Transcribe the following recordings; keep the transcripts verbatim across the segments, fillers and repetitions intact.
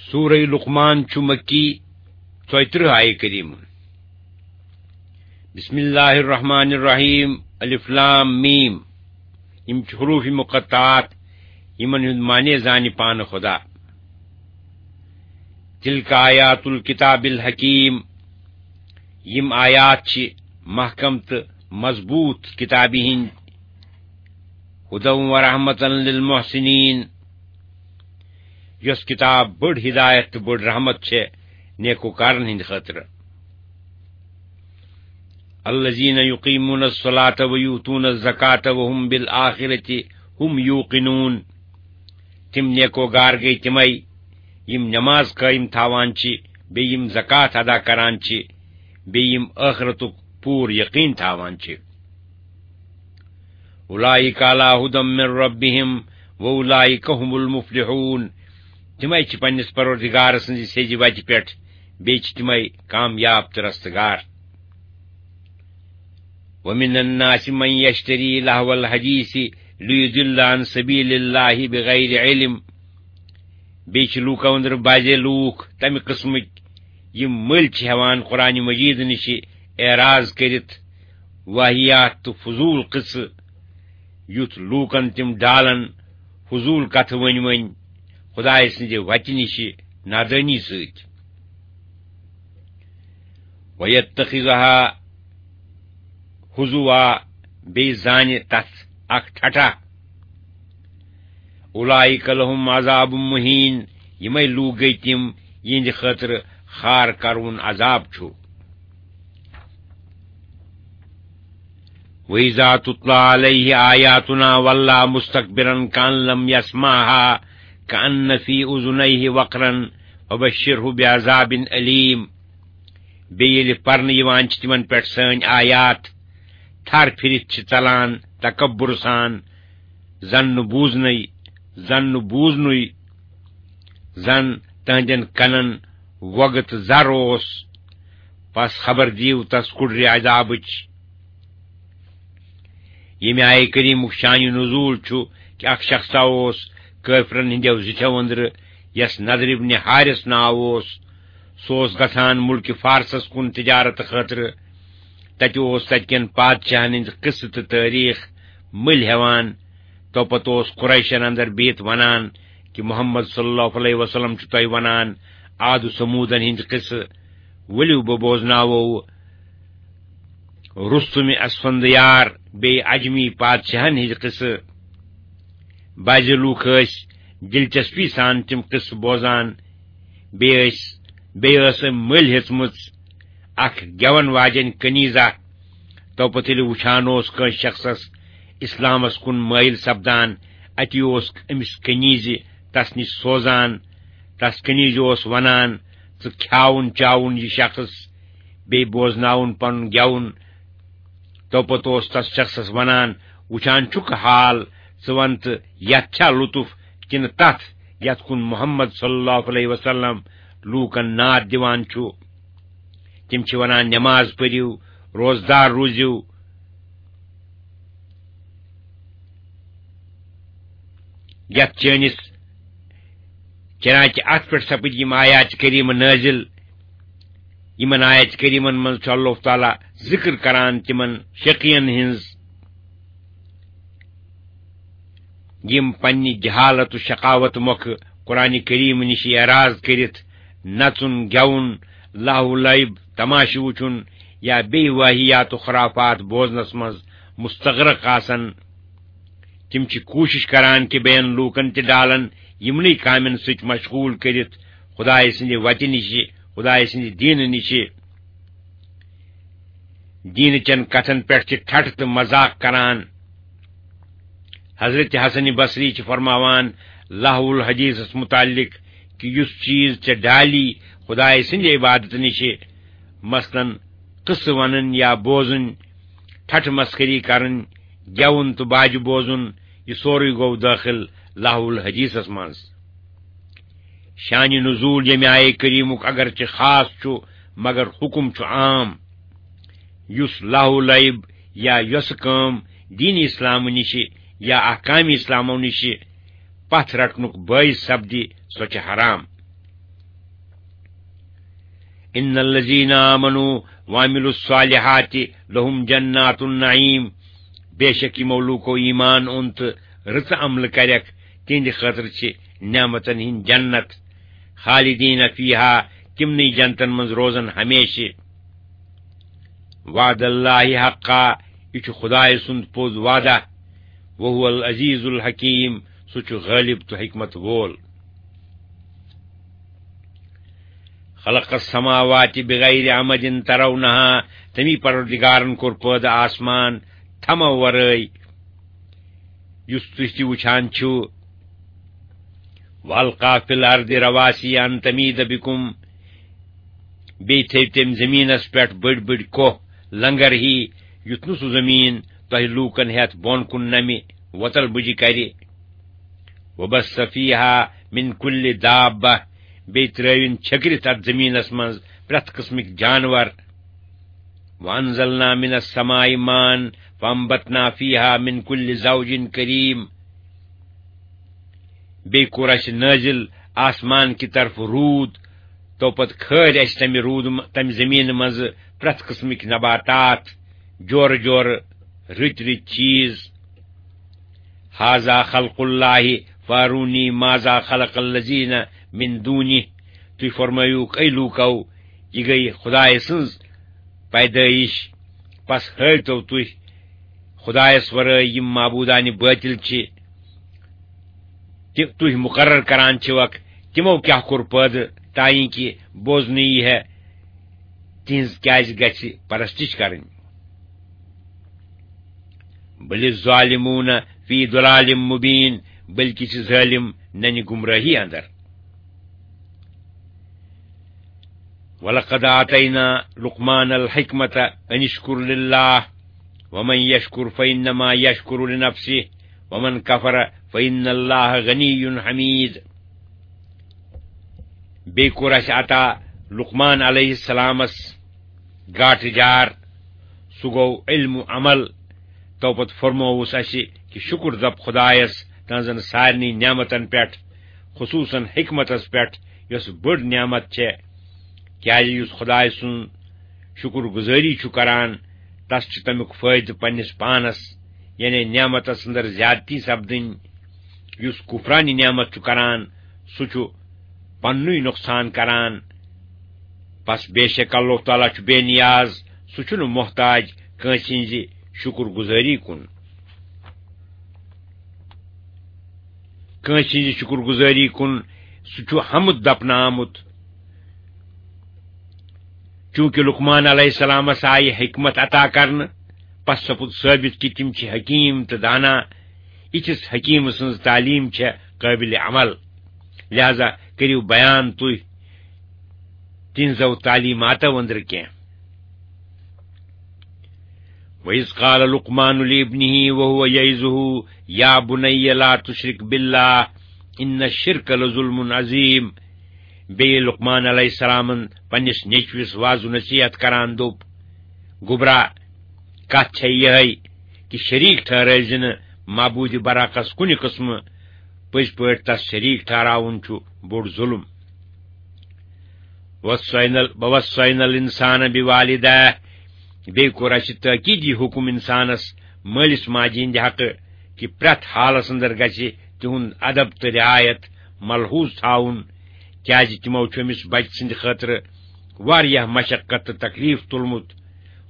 سورہ لقمان چھُ مکی، ژۄیہِ ترٕٛہ آیہِ کریمہ۔ بسم اللہ الرحمن الرحیم، الف لام میم۔ یِم چھِ حروف مقطعات، یِمن ہُنٛد معنی زانہِ پانہٕ خدا۔ تلک آیات الکتاب الحکیم، یِم آیات چھِ محکم تہٕ مضبوط کتابہِ ہِنٛدۍ۔ ہدی و رحمتن للمحسنین، یۄس کتاب بٔڑ ہدایت تہٕ بٔڑ رحمت چھےٚ نیکوکارن ہٕنٛدِ خٲطرٕ۔ الذین یقیمون الصلاۃ و یؤتون الزکاۃ و هم بالآخرۃ هم یوقنون۔ تِم نیکوگار گٔے تِمے، یِم نماز قٲیِم تھاوان چھِ، بیٚیہِ یِم زکوٰۃ ادا کران چھِ، بیٚیہِ یِم ٲخرتُک پوٗرٕ یقین تھاوان چھِ۔ اولئک علی ہدی من ربہم و اولئک هم المفلحون۔ تِمے چھِ پننِس پروردگار سٕنٛزِ سیٚزِ وتہِ پٮ۪ٹھ، بیٚیہِ چھِ تِمے کامیاب تہٕ رستگار۔ ومن الناس من یشتری لہو الحدیث لیضل عن سبیل اللہ بغیر علم۔ بیٚیہِ چھِ لوٗکو أنٛدرٕ بعضے لوٗکھ تمہِ قٕسمٕکۍ، یِم مٔلۍ چھِ ہٮ۪وان قرآن مجید نِشہِ اعراض کٔرِتھ واہیات تہٕ فضوٗل قٕصہٕ، یُتھ لوٗکن تِم ڈالن فضوٗل کتھٕ ؤنۍ ؤنۍ خدایہِ سٕنٛزِ وتہِ نِشہِ نادٲنی سۭتۍ۔ وَيَتَّخِذَهَا هُزُوًا، بیٚیہِ زانہِ تَتھ اَکھ ٹھٹھا۔ أُولَٰئِكَ لَهُمْ عَذَابٌ مُّهِينٌ، یِمَے لوٗکھ گٔے تِم، یِہِنٛدِ خٲطرٕ خار کَروُن عذاب چھُ۔ وَإِذَا تُتْلَىٰ عَلَيْهِ آيَاتُنَا وَلَّىٰ مُسْتَكْبِرًا كَأَن لَّمْ يَسْمَعْهَا كَأَنَّ فِي أُذُنَيْهِ وَقْرًا فَبَشِّرْهُ بِعَذَابٍ أَلِيمٍ۔ بیٚیہِ ییٚلہِ پرنہٕ یِوان چھِ تِمن پٮ۪ٹھ سٲنۍ آیات، تھر پھِرِتھ چھِ ژلان تکبر سان، زن نہٕ بوٗزنٕے، زن نہٕ بوٗزنُے، زن تہنٛدٮ۪ن کنن وۄگہٕ تہٕ زر اوس۔ پس خبر دِیِو تس کُڑرِ عذابٕچ۔ ییٚمہِ آیہِ کریٖمُک شانِ نزول چھُ کہِ اکھ شخصا اوس کٲفرن ہٕنٛدیو زِٹھیو أنٛدرٕ، یَس نضر ابن حارث ناو اوس۔ سُہ اوس گژھان مُلکہِ فارسس کُن تجارت خٲطرٕ۔ تتہِ اوس تتہِ کٮ۪ن پادشاہن ہٕنٛدۍ قصہٕ تہٕ تٲریٖخ مٔلۍ ہٮ۪وان۔ تو پتہٕ اوس قریشن اندر بِہِتھ ونان کہِ محمد صلی اللہ علیہ وسلم چھُ تۄہہِ ونان عاد و ثمودن ہٕنٛدۍ قصہٕ، ؤلِو بہٕ بوزناوو رُستُمِ اسفندیار بیٚیہِ عجمی پادشاہن ہٕنٛدۍ قصہٕ۔ بعض لوٗکھ ٲسۍ دلچسپی سان تِم قصہٕ بوزان، بیٚیہِ ٲسۍ، بیٚیہِ ٲس أمۍ مٔلۍ ہیٚژمٕژ اکھ گٮ۪ون واجٮ۪ن کنیزہ۔ تو پتہٕ ییٚلہِ وُچھان اوس کٲنٛسہِ شخصس اسلامس کُن مٲیِل سپدان، اتی اوس أمِس کنیزِ تس نِش سوزان۔ تس کنیزِ اوس ونان، "ژٕ کھیاوُن چاوُن یہِ شخص، بیٚیہِ بوزناوُن پنُن گٮ۪وُن۔" تو پتہٕ اوس تس شخصس ونان، "وُچھان چھُکھ حال، ژٕ ون تہٕ یتھ چھا لطف کِنہٕ تتھ، یتھ کُن محمد صلی اللہ علیہ وسلم لوٗکن ناد دِوان چھُ؟" تِم چھِ ونان، "نماز پٔرِو، روزدار روٗزِو، یتھ چٲنِس چنانچہ اتھ پٮ۪ٹھ سپٕدۍ یِم آیات کریمہ نٲزِل۔ یِمن آیات کریمن منٛز چھُ اللہ تعالیٰ ذکر کران تِمن شقین ہٕنٛز، یِم پننہِ جہالت و شقاوت مۄکھٕ قرآن کریم نِش اعراض کٔرِتھ نژُن، گٮ۪وُن، لہو لعب، تماشہٕ وُچھُن یا بیٚیہِ واہیات و خرافات بوزنس منٛز مستغرق آسن۔ تِم چھِ کوٗشِش کران کہِ بیٚین لوٗکن تہِ ڈالن یِمنٕے کامٮ۪ن سۭتۍ مشغوٗل کٔرِتھ خدایہِ سٕنٛدِ وتہِ نِشہِ، خدایہِ سٕنٛدِ دیٖنہٕ نِشہِ۔ دیٖنہٕ چٮ۪ن کتھن پٮ۪ٹھ چھِ ٹھٹھٕ تہٕ مذاق کران۔ حضرت حسن بصری چھِ فرماوان لہو الحدیثس متعلق کہِ یُس چیٖز ژےٚ ڈالی خدایہِ سٕنٛدِ عبادتہٕ نِشہِ، مثلاً قصہٕ ونٕنۍ یا بوزٕنۍ، ٹھٹھٕ مسخری کرٕنۍ، گٮ۪وُن تہٕ باجہِ بوزُن، یہِ سورُے گوٚو دٲخل لہو الحدیثس منٛز۔ شانِ نزول ییٚمہِ آیہِ کریمُک اگرچہِ خاص چھُ، مگر حکم چھُ عام۔ یُس لہو لعب یا یۄسہٕ کٲم دین اسلام نِشہِ یا احکام اسلامو نِشہِ پتھ رٹنُک باعث سپدِ، سۄ چھِ حرام۔ ان الذین آمنوا وعملوا الصالحات لهم جنات النعیم، بے شک یِمو لوٗکو ایمان اوٚن تہٕ رٕژٕ عملہٕ کَرٮ۪کھ، تِہنٛدِ خٲطرٕ چھِ نعمتن ہٕنٛدۍ جنت، خالدین فیہا، تِمنٕے جنتن منٛز روزن ہمیشہِ۔ وعد اللہ حقا، یہِ چھُ خدایہِ سُنٛد پوٚز وعدہ، وہو العزیز الحکیم، سُہ چھُ غٲلب تہٕ حکمت وول۔ خلق السماوات بغیر عمد ترونها، تمی پروردگارن کوٚر پٲدٕ آسمان تھمو ورٲے، یُس تُہۍ تہِ وٕچھان چھِو۔ والقا فی الارض رواسی ان تمید بکم، بیٚیہِ تھٲوۍ تٔمۍ زٔمیٖنس پٮ۪ٹھ بٔڑۍ بٔڑۍ کوہ، لنگر ہی، یُتھ نہٕ سُہ زٔمیٖن تۄہہِ لوٗکن ہٮ۪تھ بۄن کُن نمہِ وۄتل بُجہِ کرِ۔ وبث فیہا من کل دابہ، بیٚیہِ ترٲوِن چھٔکرِتھ اتھ زٔمیٖنس منٛز پرٛٮ۪تھ قٕسمٕکۍ جانور۔ وانزلنا من السماء ماء فانبتنا فیہا من کل زوج کریم، بیٚیہِ کوٚر اَسہِ نٲزِل آسمان کہِ طرفہٕ روٗد، تو پتہٕ کھٲلۍ اَسہِ تَمہِ روٗدٕ م-، تَمہِ زٔمیٖنہٕ منٛزٕ پرٛٮ۪تھ قٕسمٕکۍ نباتات، جورٕ جورٕ، رٕتۍ رٕتۍ چیٖز۔ ہذا خلق اللہ فارونی ماذا خلق الذین من دونہ۔ تُہۍ فرمٲیِو، اے لوٗکو، یہِ گٔے خدایہِ سٕنٛز پیدٲیِش، پس ہٲوتو تُہۍ خدایس ورٲے یِم معبوٗدانہِ بٲطِل چھِ، تہِ تُہۍ مُقرر کران چھِوکھ، تِمو کیٛاہ کوٚر پٲدٕ، تاکہِ بوزنہٕ یی ہے تِہنٛز کیٛازِ گژھِ پرستش کرٕنۍ۔ بل الظالمون فی ضلال مبین، بلکہ چھِ ظٲلِم ننہِ گمراہی اندر۔ ولقد آتینا لقمان الحکمت ان اشکر للہ ومن یشکر فانما یشکر لنفسہ ومن کفر فان اللہ غنی حمید۔ بیٚیہِ کوٚر اَسہِ عطا لقمان علیہ السلامس گاٹہٕ جار، سُہ گوٚو علم و عمل۔ تو پتہٕ فرمووُس اَسہِ کہِ شُکُر دپ خدایس تہنٛزن سارنٕے نعمتن پٮ۪ٹھ، خصوصاً حکمتس پٮ۪ٹھ، یۄس بٔڑ نعمت چھےٚ، کیازِ یُس خدایہِ سُنٛد شُکُر گُزٲری چھُ کران، تس چھُ تمیُک فٲیدٕ پننِس پانس، یعنی نعمتس اندر زیادتی سپدٕنۍ۔ یُس کفرانہِ نعمت چھُ کران، سُہ چھُ پننُے نۄقصان کران۔ پس بے شک اللہ تعالیٰ چھُ بے نیاز، سُہ چھُنہٕ محتاج کٲنٛسہِ ہٕنٛزِ شُکُر گُزٲری کُن۔ کٲنٛسہِ ہٕنٛزِ شُکُر گُزٲری کُن، سُہ چھُ حمد دپنہٕ آمُت۔ چونکہ لقمان علیہ السلامس آیہِ حکمت عطا کرنہٕ، پس سپُد ثٲبت کہِ تِم چھِ حکیم تہٕ دانا۔ یِتھِس حکیم سٕنٛز تعلیٖم چھےٚ قٲبلِ عمل۔ لہذا کٔرِو بیان تُہۍ تِہنٛزو تعلیٖماتو أنٛدرٕ کینٛہہ۔ وَإِذْ قَالَ لُقْمَانُ لِابْنِهِ وَهُوَ يَعِظُهُ يَا بُنَيَّ لَا تُشْرِكْ بِاللَّهِ إِنَّ الشِّرْكَ لَظُلْمٌ عَظِيمٌ۔ بیٚیہِ لُقمان علیہ السلامن پننِس نیٚچوِس وعظ و نصیحت کران دوٚپ، گوٚبرا، کتھ چھےٚ یِہے کہِ شریٖک ٹھہرٲوزِ نہٕ معبوٗدِ برحقس کُنہِ قٕسمہٕ، پٔزۍ پٲٹھۍ تس شریٖک ٹھہراوُن چھُ بوٚڑ ظُلم۔ وَوَصَّيْنَا ال-، وَوَصَّيْنَا الْإِنسَانَ بِوَالِدَيْهِ، بیٚیہِ کوٚر اَسہِ تٲکیٖدی حُکُم اِنسانَس مٲلِس ماجہِ ہِنٛدِ حقہٕ کہِ پرٛٮ۪تھ حالَس اندر گژھِ تِہُنٛد ادب تہٕ رعایت ملحوظ تھاوُن، کیٛازِ تِمو چھُ أمِس بچہٕ سٕنٛدِ خٲطرٕ واریاہ مشقت تہٕ تکلیف تُلمُت،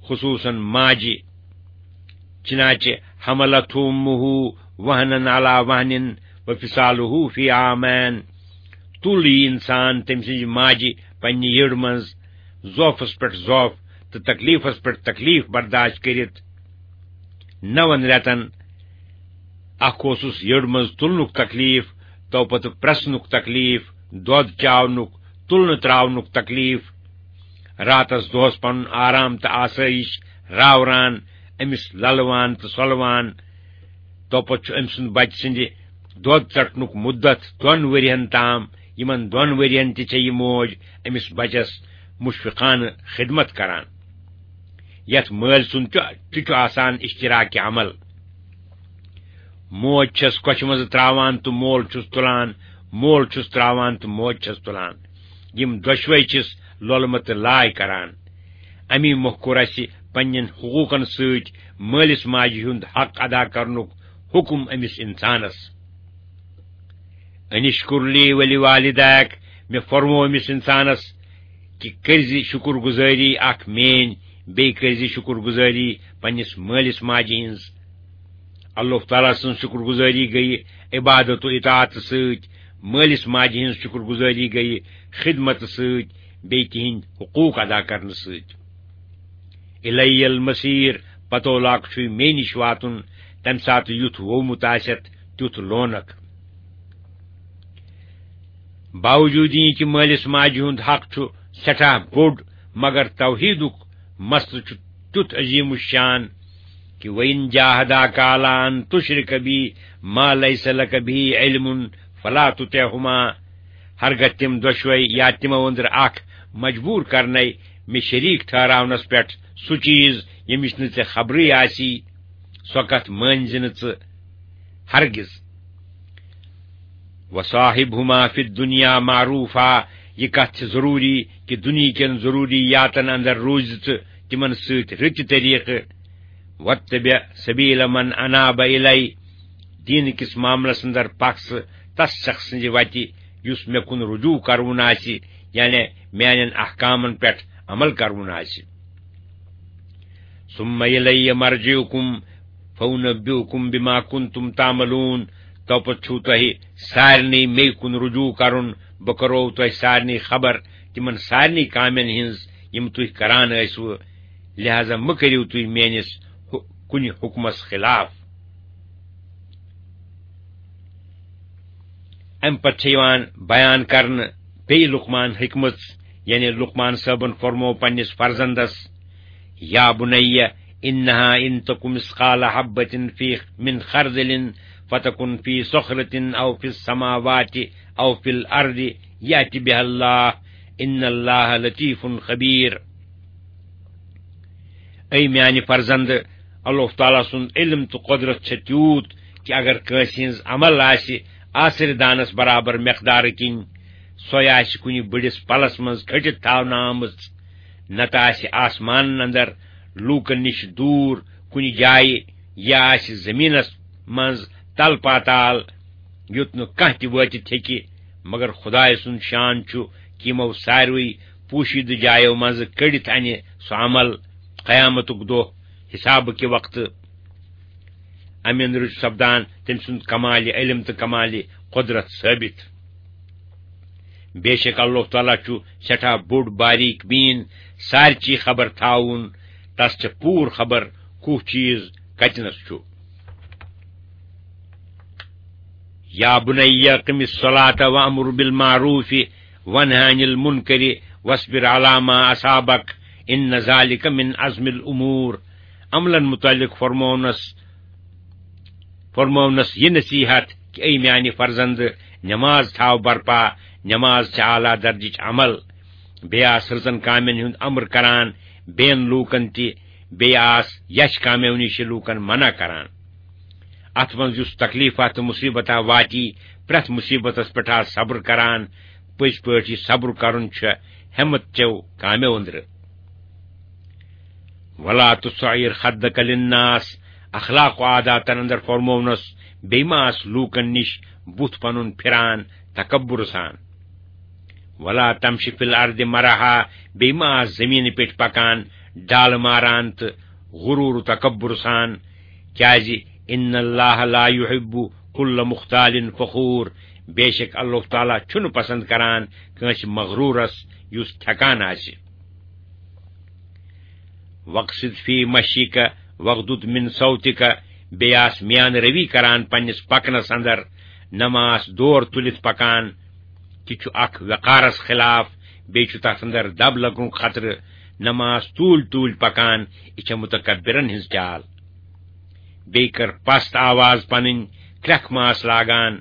خصوصاً ماجہِ۔ چنانچہ حملته امه وهنا على وهن وفصاله في عامين، تُل یہِ انسان تٔمۍ سٕنٛزِ ماجہِ پننہِ یٔڑ منٛز ضعفس پٮ۪ٹھ ضعف تہٕ تکلیفس پٮ۪ٹھ تکلیف برداشت کٔرِتھ۔ نون رٮ۪تن اکھ اوسُس یٔڑ منٛز تُلنُک تکلیف، تو پتہٕ پرٛسنُک تکلیف، دۄد چاونُک، تُلنہٕ تراونُک تکلیف، راتس دۄہس پنُن آرام تہٕ آسٲیِش راوران، أمِس للوان تہٕ سۄلوان۔ توپتہٕ چھُ أمۍ سُنٛد بچہٕ سٕنٛدِ دۄد ژٹنُک مُدت دۄن ؤرِین تام۔ یِمن دۄن ؤرِین تہِ چھےٚ یہِ موج أمِس بچس مشفقانہٕ خدمت کران، یتھ مٲلۍ سُنٛد تہِ، تہِ چھُ آسان اشتراک عمل۔ موج چھَس کۄچھِ منٛز تراوان تہٕ مول چھُس تُلان، مول چھُس تراوان تہٕ موج چھَس تُلان۔ یِم دۄشوے چھِس لۄلمہٕ تہٕ لاے کران۔ امی مۄکھ کوٚر اسہِ پننٮ۪ن حقوٗقن سۭتۍ مٲلِس ماجہِ ہُنٛد حق ادا کرنُک حُکم أمِس انسانس۔ انشکر لی ولی والدیک، مےٚ فرموو أمِس انسانس کہِ کٔرزِ شُکر گُزٲری اکھ میٲنۍ، بیٚیہِ کٔرزِ شُکر گُزٲری پننِس مٲلِس ماجہِ ہٕنٛز۔ اللہ تعالیٰ سٕنٛز شُکر گُزٲری گٔیہِ عبادت و اطاعت سۭتۍ، مٲلِس ماجہِ ہٕنٛز شُکر گُزٲری گٔیہِ خدمت سۭتۍ، بیٚیہِ تِہنٛدۍ حقوٗق ادا کرنہٕ سۭتۍ۔ اِلیہ المصیر، پتولہٕ چھُے مے نِش واتُن، تمہِ ساتہٕ یُتھ وومُت آسٮ۪تھ تیُتھ لونکھ۔ باوجوٗد یہِ کہِ مٲلِس ماجہِ ہُنٛد حق چھُ سٮ۪ٹھاہ بوٚڑ، مگر توحیٖدُک مسلہٕ چھُ تیُتھ عظیٖم الشان کہِ وَإِن جَاهَدَاكَ عَلَىٰ أَن تُشْرِكَ بِي مَا لَيْسَ لَكَ بِهِ عِلْمٌ فَلَا تُطِعْهُمَا۔ ہرگاہ تِم دۄشوے یا تِمو أنٛدرٕ اکھ مجبوٗر کرنَے مےٚ شریٖک ٹھہراونس پٮ۪ٹھ سُہ چیٖز، ییٚمِچ نہٕ ژےٚ خبرٕے آسی، سۄ کتھ مٲنۍ زِ نہٕ ژٕ ہرگز۔ وَصَاحِبْهُمَا فِي الدُّنْيَا مَعْرُوفًا، یہِ کتھ چھِ ضروٗری کہِ دُنیہکٮ۪ن ضروٗریاتن اندر روٗزِ ژٕ تِمن سۭتۍ رٕتہِ طریٖقہٕ۔ وَاتَّبِعْ سَبِيلَ مَنْ أَنَابَ إِلَيَّ، دیٖن کِس معاملس اندر پکھ ژٕ تس شخص سٕنٛزِ وتہِ یُس مےٚ کُن رجوع کرُن آسہِ، یعنی میانٮ۪ن احکامن پٮ۪ٹھ عمل کرُن آسہِ۔ ثُمَّ إِلَيَّ مَرْجِعُكُمْ فَأُنَبِّئُكُم بِمَا كُنتُمْ تَعْمَلُونَ۔ توپتہٕ چھُو تۄہہِ سارنٕے مے کُن رجوع کرُن، بہٕ کرو تۄہہِ سارنٕے خبر تِمن سارنٕے کامٮ۪ن ہٕنٛز یِم تُہۍ کران ٲسوٕ، لہذا مہٕ کٔرِو تُہۍ میٲنِس ہُ-، کُنہِ حُکمس خلاف۔ امہِ پتہٕ چھِ یِوان بیان کرنہٕ بیٚیہِ لقمان حکمت، یعنی لقمان صٲبن فرموو پننِس فرزندس، یا بنی انہا ان تک مثقال حبۃ فی من خردل فتکن فی صخرۃ او فی السماوات او فی الارض یأت بها اللہ ان اللہ لطیف خبیر۔ اے میانہِ فرزند، اللہ تعالیٰ سُنٛد علم تہٕ قۄدرت چھےٚ تیوٗت کہِ اگر کٲنٛسہِ ہٕنٛز عمل آسہِ آسرِ دانس برابر مقدارٕ کِنۍ، سۄے آسہِ کُنہِ بٔڑِس پلس منٛز کھٔٹِتھ تھاونہٕ آمٕژ، نتہٕ آسہِ آسمانن اندر لوٗکن نِش دوٗر کُنہِ جایہِ، یا آسہِ زٔمیٖنس منٛز تل پاتال، یوٚت نہٕ کانٛہہ تہِ وٲتِتھ ہیٚکہِ، مگر خدایہِ سُنٛد شان چھُ کہِ یِمو ساروٕے پوشیدٕ جایو منٛزٕ کٔڑِتھ انہِ سُہ عمل قیامتُک دۄہ حسابہٕ کہِ وقتہٕ۔ امہِ اندرٕ چھُ سپدان تٔمۍ سُنٛد کمالِ علم تہٕ کمالِ قۄدرت ثٲبت۔ بے شک اللہ تعالیٰ چھُ سٮ۪ٹھاہ بوٚڑ باریک بیٖن، سارچی خبر تھاوُن، تس چھےٚ پوٗرٕ خبر کُس چیٖز کتنس چھُ۔ یا بنی اقم الصلاۃ وامر بالمعروف وانہ عن المنکر واصبر علی ما اصابک ان ذلک من عزم الامور۔ عملن متعلق فرمونس، فرمونس یہِ نصیحت کہ اے میانہِ فرزند، نماز تھاو برپا، نماز چھِ اعلیٰ درجٕچ عمل۔ بیٚیہِ آس رٕژن کامٮ۪ن ہُنٛد امر کران، بین لوٗکن تہِ، بیٚیہِ آس یچھ کامیو نِش لوٗکن منع کران۔ اتھ منٛز یُس تکلیفہ تہٕ مصیبتہ واتی، پرٛٮ۪تھ مصیبتس پٮ۪ٹھ آس صبر کران، پٔزۍ پٲٹھۍ یہِ صبر کرُن چھُ ہمت چیو کامیو أنٛدرٕ۔ ولا تصعر خدك للناس، اخلاق و عاداتن اندر فرمونس، بیٚیہِ ما آس لوٗکن نِش بُتھ پنُن پھران تکبر سان۔ ولا تمش فی الارض مرحا، بیٚیہِ ما آس زمینہِ پٮ۪ٹھ پکان ڈالہٕ ماران تہٕ غرور و تکبر سان، کیازِ ان اللہ لا یحب کل مختال فخور، بے شک اللہ تعالیٰ چھُنہٕ پسند کران کٲنٛسہِ مغرورس یُس تھکان آسہِ۔ واقصد فی مشیک واغضض من صوتک، بیٚیہِ آس میان روی کران پننِس پکنس اندر، نہ ما آس دور تُلِتھ پکان، تہِ چھُ اکھ وقارس خلاف، بیٚیہِ چھُ تتھ اندر دب لگنُک خطرٕ، نہ ما آس توٗلۍ توٗلۍ پکان، یہِ چھےٚ متکبرن ہٕنٛز چال۔ بیٚیہِ کٔر پست آواز پنٕنۍ، کرٛٮ۪کھ ما آس لاگان۔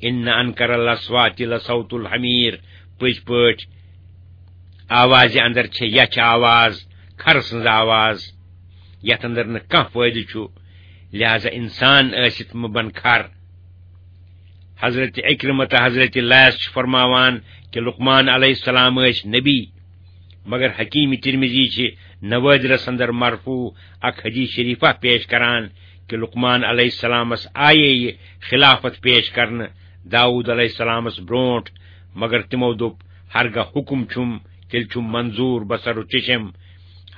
ان انکر الاصوات لصوت الحمیر، پٔزۍ پٲٹھۍ آوازِ اندر چھےٚ یچھ آواز، کھرٕ سٕنٛز آواز، یتھ اندر نہٕ کانٛہہ فٲیدٕ چھُ، لہذا انسان ٲسِتھ مہٕ بن کھر۔ حضرت عکرمہ تہٕ حضرت لیث چھِ فرماوان کہِ لقمان علیہ السلام ٲسۍ نبی، مگر حکیم ترمذی چھِ نوادرس اندر مرفوع اکھ حدیث شریفہ پیش کران کہ لقمان علیہ السلامس آیے یہ خلافت پیش کرنہ داؤد علیہ السلامس برونٹھ، مگر تمو دوٚپ، ہرگاہ حکم چھُم، تیٚلہِ چھُم منظور بصر و چشم،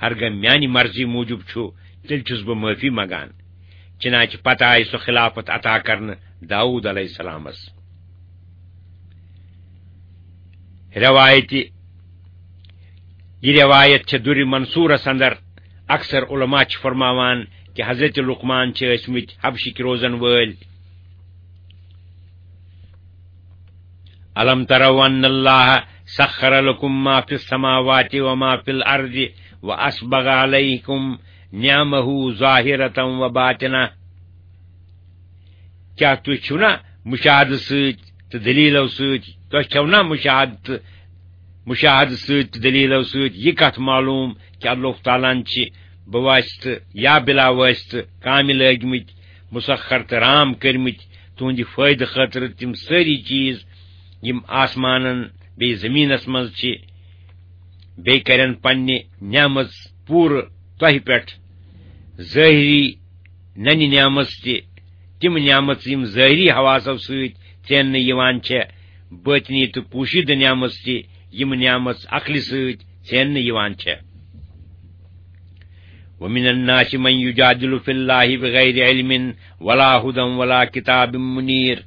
ہرگاہ میانہِ مرضی موجب چھُ، تیٚلہِ چھُس بہٕ معافی منگان۔ چنانچہ پتہ آیہِ سۄ خلافت عطا کرنہ داؤد علیہ السلامس۔ روایتِ، یہ روایت چھِ دُرِ منصورس اندر۔ اکثر علماء چھِ فرماوان کہ حضرت لقمان چھِ ٲسمٕتۍ حبشٕکۍ روزن وٲلۍ۔ الم تروا ان اللہ سخر لکم ما فی السماوات و ما فی الارض و اسبغ علیکم نعمہ ظاہرۃ و باطنہ۔ کیا تُہۍ چھِو نا مشاہدٕ سۭتۍ تہٕ دلیلو سۭتۍ، تۄہہِ چھَو نا مشاہدٕ تہٕ، مشاہدٕ سۭتۍ تہٕ دلیلو سۭتۍ یہِ کتھ معلوم کہ اللہ تعالیٰ ہن چھِ بواسطہٕ یا بلا واسطہٕ کامہِ لٲگمٕتۍ، مسخر تہٕ رام کٔرمٕتۍ تُہنٛدِ فٲیدٕ خٲطرٕ تِم سٲری چیٖز یِم آسمانن بیٚیہِ زٔمیٖنس منٛز چھِ، بیٚیہِ کرن پننہِ نعمژ پوٗرٕ تۄہہِ پٮ۪ٹھ، ظٲہری ننہِ نعمژ تہِ، تِم نعمژ یِم ظٲہری حواسو سۭتۍ ژیننہٕ یِوان چھےٚ، باطنی تہٕ پوشیدٕ نعمژ تہِ، یِم نعمژ عقلہِ سۭتۍ ژیننہٕ یِوان چھےٚ۔ ومن الناس من یجادل فی اللہ بغیر علم ولا ہدی ولا کتاب منیر۔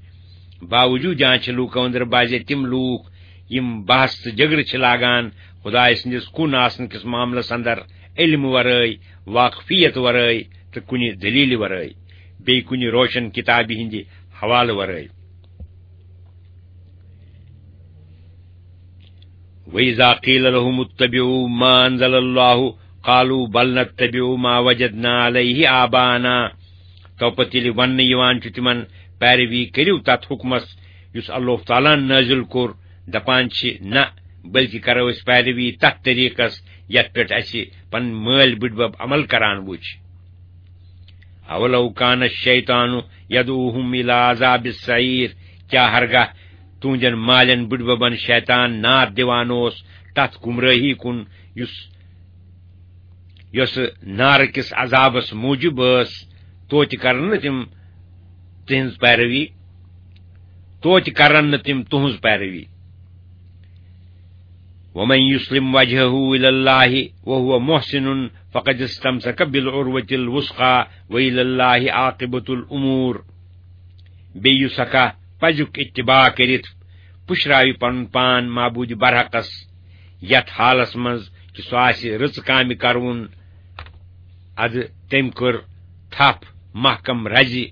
باوجود جان چھِ لوٗکو أنٛدرٕ بعضے تِم لوٗکھ یِم بحث تہٕ جگرٕ چھِ لاگان خدایہِ سٕنٛدِس کُن آسنہٕ کِس معاملس اندر علم ورٲے، واقفیت ورٲے تہٕ کُنہِ دلیلہِ ورٲے، بیٚیہِ کُنہِ روشن کتابہِ ہٕنٛدِ حوالہٕ ورٲے۔ وَإِذَا قِيلَ لَهُمُ اتَّبِعُوا مَا أَنزَلَ اللَّهُ قَالُوا بَلْ نَتَّبِعُ مَا وَجَدْنَا عَلَيْهِ آبَاءَنَا۔ تو پتہٕ ییٚلہِ وننہٕ یِوان چھُ تِمن، پیروی کٔرِو تتھ حُکمس یُس اللہ تعالیٰ ہن نٲزِل کوٚر، دپان چھِ، نہ، بلکہِ کرو أسۍ پیروی تتھ طریقس یتھ پٮ۪ٹھ اسہِ پنٕنۍ مٲلۍ بٕڈبب عمل کران وُچھ۔ اولو کان الشیطان یدعوہم الی عذاب السعیر، کیا ہرگاہ تُہنٛدٮ۪ن مالٮ۪ن بٕڈببن شیطان ناد دِوان اوس تتھ گمرٲہی کُن یُس، یۄسہٕ نارٕ کِس عذابس موجب ٲس، توتہِ کرن نہٕ تِم تِہنٛز پیروی، توتہِ کرن نہٕ تِم تُہنٛز پیروی۔ ومن یسلم وجهه الی اللہ وهو محسن فقد استمسک بالعروة الوثقی والی اللہ عاقبة الامور۔ بیٚیہِ یُس ہکا پزیُک اتباع کٔرِتھ پُشراوِ پنُن پان معبود برحقس، یتھ حالس منٛز کہِ سُہ آسہِ رٕژٕ کامہِ کرون، ادٕ تٔمۍ کٔر تھپھ محکم رزِ،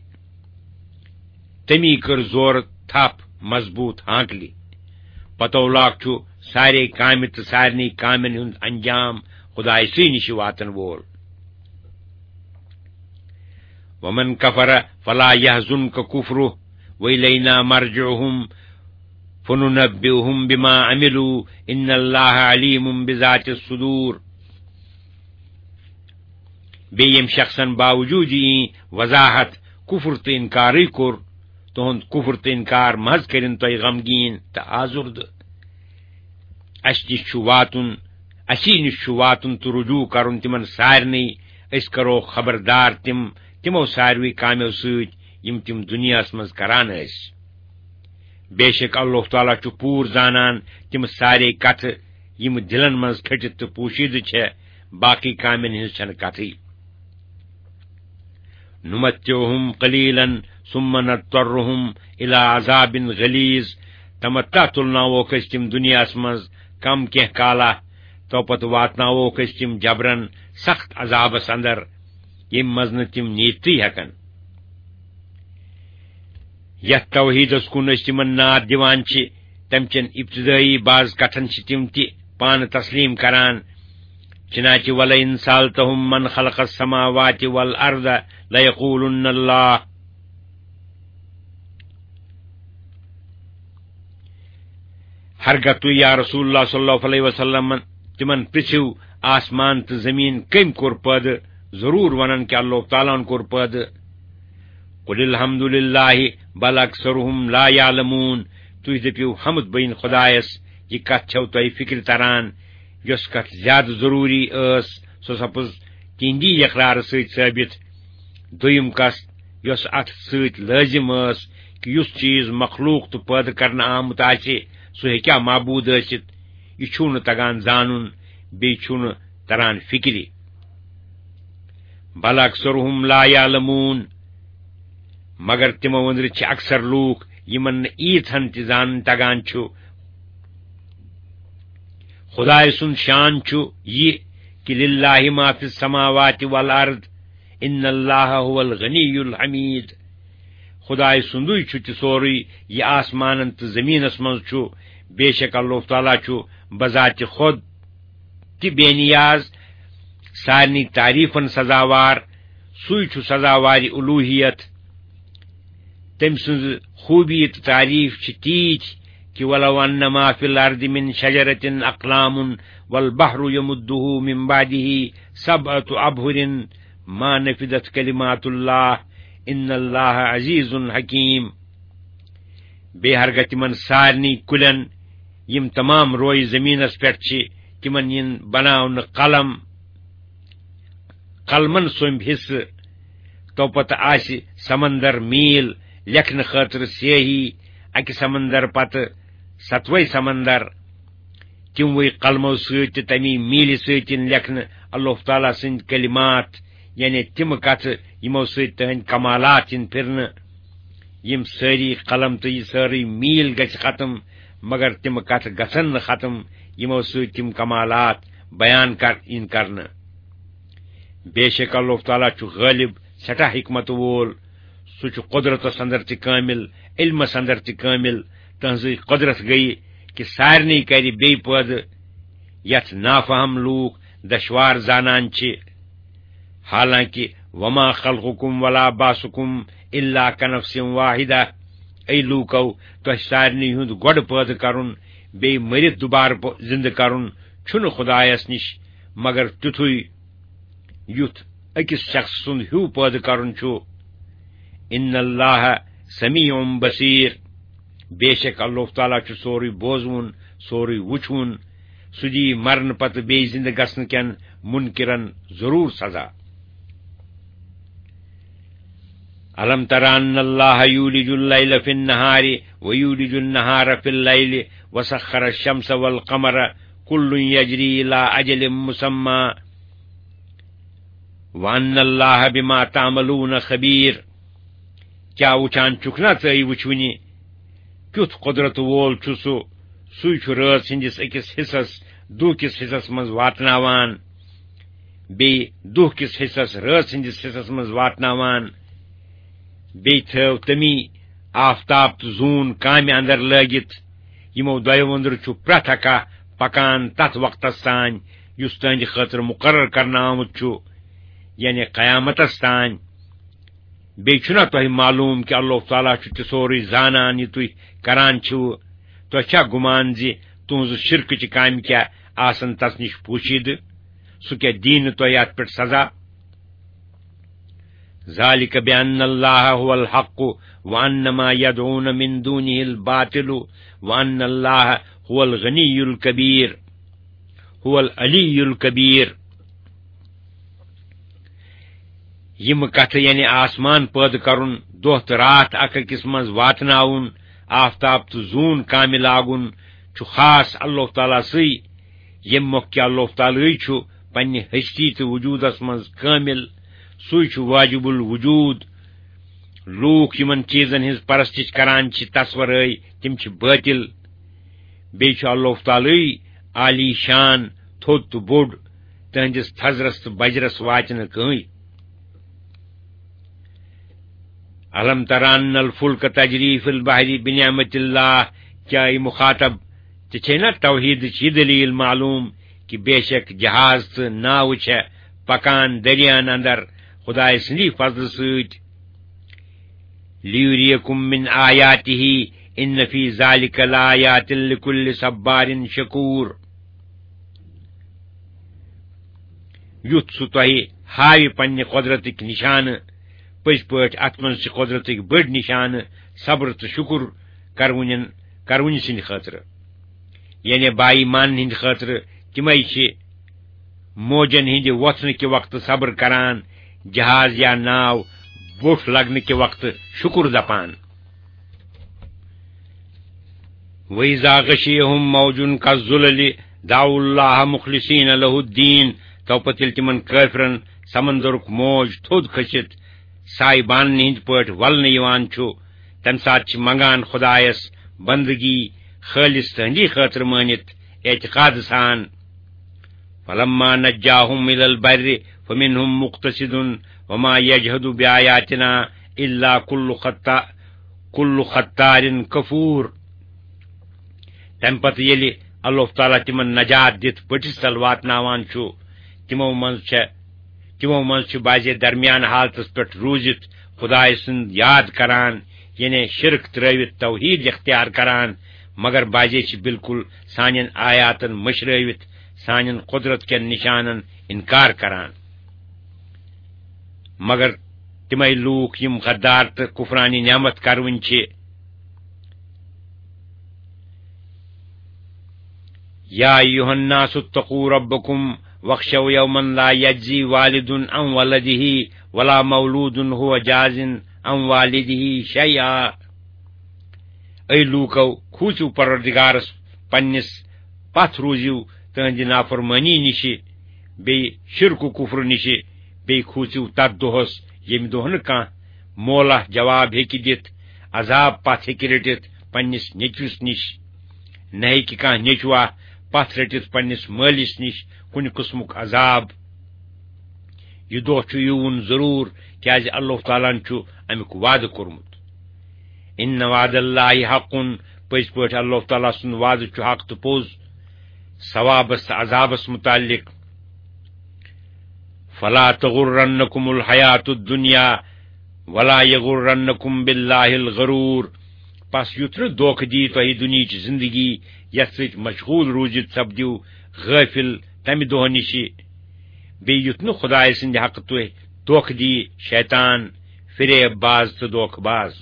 تٔمی کٔر زورٕ تھپھ مضبوط ہانکلہِ۔ پتولاک چھُ سارے کامہِ تہٕ سارنٕے کامٮ۪ن ہُنٛد انجام خدایہِ سٕے نِش واتن وول۔ ومن کفر فلا یحزنک کفرہ والینا مرجعہم فننبئہم بما عملوا ان اللہ علیم بذات الصدور۔ بیٚیہِ ییٚمہِ شخصن باوجود یہِ وضاحت کفر تہٕ انکارٕے کوٚر، تُہُنٛد کفر تہٕ انکار محض کٔرِن تۄہہِ غمگیٖن تہٕ آزُردٕ۔ اَسہِ نِش چھُ واتُن، اَسی نِش چھُ واتُن تہٕ رجوع کرُن تِمن سارنٕے۔ أسۍ کرو خبردار تِم تِمو ساروٕے کامیو سۭتۍ یِم تِم دُنیاہس منٛز کران ٲسۍ۔ بے شک اللہ تعالیٰ چھُ پوٗرٕ زانان تِم سارے کتھٕ یِم دِلن منٛز کھٔٹِتھ تہٕ پوشیدٕ چھےٚ، باقی کامٮ۪ن ہٕنٛز چھنہٕ کتھٕے۔ نمتعہم قلیلا ثم نضطرہم الی عذاب غلیظ۔ تمتع تُلناووکھ أسۍ تِم دُنیاہس منٛز کم کینٛہہ کالا، تو پتہٕ واتناووکھ أسۍ تِم جبرن سخت عذابس اندر، ییٚمہِ منٛز نہٕ تِم نیٖرتھٕے ہٮ۪کن۔ یتھ توحیدس کُن أسۍ تِمن ناد دِوان چھِ، تمہِ چٮ۪ن ابتدٲیی بعض کتھن چھِ تِم تہِ پانہٕ تسلیم کران۔ چنانچہ ولئن سألتہم من خلق السماوات والارض لیقولن اللہ۔ ہرگاہ تُہۍ یا رسول اللہ صلی اللہ علیہ وسلم تِمن پرژھِو، آسمان تہٕ زمین کٔمۍ کوٚر پٲدٕ؟ ضروٗر ونن کہِ اللہ تعالیٰ ہن کوٚر پٲدٕ۔ قل الحمد للہ بل اکثرہم لا یعلمون۔ تُہۍ دٔپِو، حمد بٔنۍ خدایس، یہِ کتھ چھَو تۄہہِ فکرِ تران؟ یۄس کتھ زیادٕ ضروٗری ٲس، سۄ سپٕز تِہنٛدی یقرارٕ سۭتۍ ثٲبت۔ دوٚیِم کتھ، یۄس اتھ سۭتۍ لٲزم ٲس، کہِ یُس چیٖز مخلوق تہٕ پٲدٕ کرنہٕ آمُت آسہِ، سُہ ہیٚکیٛاہ معبوٗد ٲسِتھ؟ یہِ چھُو نہٕ تگان زانُن، بیٚیہِ چھُو نہٕ تران فِکرِ۔ بل اکثرهم لا یعلمون، مگر تِمو أنٛدرٕ چھِ اکثر لوٗکھ، یِمن نہٕ ییٖژ ہن تہِ زانُن تگان چھُ۔ خدایہِ سُنٛد شان چھُ یہِ کہِ للہ ما فی السماوات والارض، ان اللہ هو الغنی الحمید۔ خدایہِ سُنٛدُے چھُ تہِ سورُے، یہِ آسمانن تہٕ زٔمیٖنس منٛز چھُ۔ بے شک اللہ تعالیٰ چھُ بذاتِ خود تہِ بے نیاز، سارنٕے تعریٖفن سزاوار۔ سُے چھُ سزاوارِ الوٗہیت۔ تٔمۍ سٕنٛز خوٗبی تہٕ تعریٖف چھِ تیٖتۍ کہِ ولو ان ما فی الارض من شجرة اقلام والبحر یمده من بعده سبعة ابحر ما نفدت کلمات اللہ ان اللہ عزیز حکیم۔ بیٚیہِ ہرگاہ تِمن سارنٕے کُلٮ۪ن، یِم تمام رویہِ زٔمیٖنس پٮ۪ٹھ چھِ، تِمن یِن بناونہٕ قلم، قلمن سُنٛد حصہٕ، تو پتہٕ آسہِ سمندر میٖل لیکھنہٕ خٲطرٕ سیاہی، اکہِ سمندر پتہٕ ستوے سمندر، تِموٕے قلمو سۭتۍ تہٕ تمی میٖلہِ سۭتۍ یِن لیکھنہٕ اللہ تعالیٰ سٕنٛدۍ کلمات، یعنی تِم کتھٕ یِمو سۭتۍ تٕہنٛدۍ کمالات یِن پھرنہٕ۔ یِم سٲری قلم تہٕ یہِ سٲرٕے میٖل گژھِ ختم، مگر تِم کتھٕ گژھن نہٕ ختم، یِمو سۭتۍ تِم کمالات بیان کر-، یِن کرنہٕ۔ بے شک اللہ تعالیٰ چھُ غٲلب، سٮ۪ٹھاہ حکمت وول۔ سُہ چھُ قدرتس اندر تہِ کٲمل، علمس اندر تہِ کٲمل۔ تٕہنٛزٕے قدرت گٔیہِ کہِ سارنٕے کرِ بیٚیہِ پٲدٕ، یتھ نافہم لوٗکھ دشوار زانان چھِ۔ حالانکہ وما خلقکم ولا بعثکم الا کنفس واحدہ، اے لوٗکو، تۄہہِ سارنٕے ہُنٛد گۄڈٕ پٲدٕ کرُن، بیٚیہِ مٔرِتھ دُبارٕ پٲ-، زِندٕ کرُن چھُنہٕ خدایس نِش مگر تیُتھُے، یُتھ أکِس شخص سُنٛد ہیوٗ پٲدٕ کرُن چھُ۔ ان اللہ سمیع بصیر، بے شک اللہ تعالیٰ چھُ سورُے بوزوُن، سورُے وُچھوُن۔ سُہ دِیہِ مرنہٕ پتہٕ بیٚیہِ زِندٕ گژھنہٕ کٮ۪ن منکرن ضروٗر سزا۔ الم تر ان اللہ یولج اللیل فی النہار ویولج النہار فی اللیل وسخر الشمس والقمر کل یجری الی اجل مسمی وان اللہ بما تعملون خبیر۔ کیٛاہ وُچھان چھُکھ نا ژٕ، وُچھوٕنہِ کیُتھ قۄدرت وول چھُ سُہ؟ سُے چھُ رٲژ ہٕنٛدِس أکِس حصس دُہ کِس حصس منٛز واتناوان، بیٚیہِ دُہ کِس حصس رٲژ ہٕنٛدِس حصس منٛز واتناوان۔ بیٚیہِ تھٲو تٔمی آفتاب تہٕ زوٗن کامہِ اندر لٲگِتھ۔ یِمو دۄیو أنٛدرٕ چھُ پرٛٮ۪تھ اکھ پکان تتھ وقتس تام یُس تُہنٛدِ خٲطرٕ مُقرر کرنہٕ آمُت چھُ، یعنی قیامتس تام۔ بیٚیہِ چھُنا تۄہہِ معلوٗم کہِ اللہ تعالیٰ چھُ تہِ سورُے زانان یہِ تُہۍ کران چھِو؟ تۄہہِ چھا گُمان زِ تُہنٛزٕ شرکٕچہِ کامہِ کیٛاہ آسن تس نِش پوشیدٕ؟ سُہ کیٛاہ دِیہِ نہٕ تۄہہِ اتھ پٮ۪ٹھ سزا؟ ذلك بأن الله هو الحق وأن ما يدعون من دونه الباطل وأن الله هو الغني الكبير، هو العلي الكبير۔ یِم کتھٕ، یعنی آسمان پٲدٕ کرُن، دۄہ تہٕ راتھ اکھ أکِس منٛز واتناوُن، آفتاب تہٕ زوٗن کامہِ لاگُن، چھُ خاص اللہ تعالیٰ سٕے، ییٚمہِ مۄکھ کہِ اللہ تعالیٰ چھُ پننہِ ہستی تہٕ وجوٗدس منٛز کٲمِل۔ سُے چھُ واجب الوجود۔ لوٗکھ یِمن چیٖزن ہٕنٛز پرستش کران چھِ، تصورٲے، تِم چھِ بٲطِل۔ بیٚیہِ چھُ اللہ تعالیٰ عالی شان، تھوٚد تہٕ بوٚڑ، تہنٛدِس تھزرس تہٕ بجرس واتہِ نہٕ کٕہٕنۍ۔ الم تر ان الفلک تجری فی البحر بنعمت اللہ، کیا اے مخاطب، ژےٚ چھے نا توحیدٕچ یہِ دلیل معلوم کہِ بے شک جہاز تہٕ ناوٕ چھےٚ پکان دٔریاہن اندر خدایہِ سٕنٛدی فضلہٕ سۭتۍ؟ لیُریکم من آیاتہ ان فی ذلک لآیات لکل صبار شکور۔ یُتھ سُہ تۄہہِ ہاوِ پننہِ قۄدرتٕکۍ نِشانہٕ۔ پٔزۍ پٲٹھۍ اتھ منٛز چھِ قۄدرتٕکۍ بٔڑۍ نِشانہٕ صبر تہٕ شُکر کرونٮ۪ن، کرونہِ سٕنٛدِ خٲطرٕ، یعنی باایمان ہٕنٛدِ خٲطرٕ، تِمے چھِ موجن ہٕنٛدِ وۄتھنہٕ کہِ وقتہٕ صبر کران، جہاز یا ناو بوٚٹھ لگنہٕ کہِ وقتہٕ شُکُر دپان۔ وَإِذَا غَشِيَهُم مَّوْجٌ كَالظُّلَلِ دَعَوُا اللَّهَ مُخْلِصِينَ لَهُ الدِّينَ۔ تو پتہٕ ییٚلہِ تِمن کٲفرن سمندرُک موج تھوٚد کھٔسِتھ سایبانن ہٕنٛدۍ پٲٹھۍ ولنہٕ یِوان چھُ، تمہِ ساتہٕ چھِ منگان خدایس بندگی خٲلص تہندی خٲطرٕ مٲنِتھ اعتقاد سان۔ فَلَمَّا نَجَّاهُمْ إِلَى الْبَرِّ فَمِنْهُمْ مُقْتَصِدٌ وَمَا يَجْحَدُ بِآيَاتِنَا إِلَّا كُلُّ خَتَّا-، كُلُّ خَتَّارٍ كَفُورٍ۔ تمہِ پتہٕ ییٚلہِ اللہ تعالیٰ تِمن نجات دِتھ بٔٹِس تل واتناوان چھُ، تِمو منٛز چھےٚ، تِمو منٛز چھِ بعضے درمیان حالتس پٮ۪ٹھ روٗزِتھ خدایہِ سُنٛد یاد کران، یعنی شرک ترٲوِتھ توحید اختیار کران، مگر بعضے چھِ بالکل سانٮ۪ن آیاتن مٔشرٲوِتھ سانٮ۪ن قدرت کٮ۪ن نشانن انکار کران۔ مگر تِمے لوٗکھ یِم غدار تہٕ کفرانی نعمت کروٕنۍ چھِ۔ يَا أَيُّهَا النَّاسُ اتَّقُوا رَبَّكُمْ وَاخْشَوْا يَوْمًا لَا يَجْزِي وَالِدٌ عَنْ وَلَدِهِ وَلَا مَوْلُودٌ هُوَ جَازٍ عَنْ وَالِدِهِ شَيْئًا۔ اے لوٗکو، کھوٗژِو پروردگارس پننِس، پتھ روٗزِو تہنٛدِ نافرمٲنی نِشہِ، بیٚیہِ شرک و کفر نِشہِ، بیٚیہِ کھوٗژِو تتھ دۄہس، ییٚمہِ دۄہ نہٕ کانٛہہ مولا جواب ہیٚکہِ دِتھ، عذاب پتھ ہیٚکہِ رٔٹِتھ پننِس نیٚچوِس نِش۔ نہ ہیٚکہِ کانٛہہ نیٚچوا پتھ رٔٹِتھ پننِس مٲلِس نِش کُنہِ قٕسمُک عذاب۔ یہِ دۄہ چھُ یِوُن ضروٗر، کیازِ اللہ تعالیٰ ہن چھُ امیُک وعدٕ کوٚرمُت۔ إِنَّ وَعْدَ اللَّهِ حَقٌّ، پٔزۍ پٲٹھۍ اللہ تعالیٰ سُنٛد وعدٕ چھُ حق تہٕ پوٚز، ثوابس تہٕ عذابس متعلق۔ فَلَا تَغُرَّنَّكُمُ الْحَيَاةُ الدُّنْيَا وَلَا يَغُرَّنَّكُمْ بِاللَّهِ الْغَرُورُ۔ پس یُتھ نہٕ دھوکہٕ دی تۄہہِ دُنیہٕچ زندگی، یتھ سۭتۍ مشغول روٗزِتھ سپدِو غٲفِل تمہِ دۄہ نِشہِ۔ بیٚیہِ یُتھ نہٕ خدایہِ سٕنٛدِ حقہٕ تُہۍ دھوکہٕ دی شیطان، فریب باز تہٕ دھوکہٕ باز۔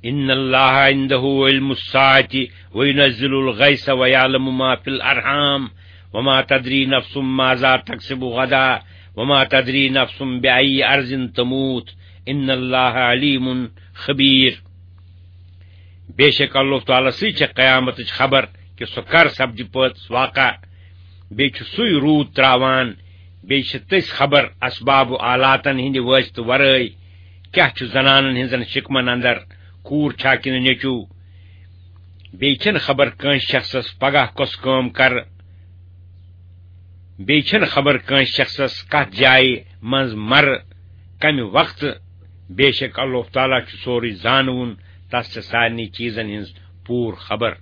إِنَّ اللَّهَ عِنْدَهُ عِلْمُ السَّاعَةِ وَيُنَزِّلُ الْغَيْثَ وَيَعْلَمُ مَا فِي الْأَرْحَامِ وَمَا تَدْرِي نَفْسٌ مَاذَا تَكْسِبُ غَدًا وَمَا تَدْرِي نَفْسٌ بِأَيِّ أَرْضٍ تَمُوتُ إِنَّ اللَّهَ عَلِيمٌ خَبِيرٌ۔ بے شک اللہ تعالیٰ سٕے چھےٚ قیامتٕچ خبر کہِ سُہ کر سپدِ پٲژ واقع۔ بیٚیہِ چھُ سُے روٗد تراوان، بیٚیہِ چھِ تٔسۍ خبر اسباب و آلاتن ہٕنٛدِ وٲسطہٕ ورٲے کیاہ چھُ زنانن ہٕنٛزن شکمن اندر، کوٗر چھا کِنہٕ نیٚچو۔ بیٚیہِ چھَنہٕ خبر کٲنٛسہِ شخصس پگاہ کۄس کٲم کرٕ، بیٚیہِ چھَنہٕ خبر کٲنٛسہِ شخصس کتھ جایہِ منٛز مرٕ، کمہِ وقتہٕ۔ بے شک اللہ تعالیٰ چھُ سورُے زانوُن، تس چھِ سارنٕے چیٖزن ہٕنٛز پوٗرٕ خبر۔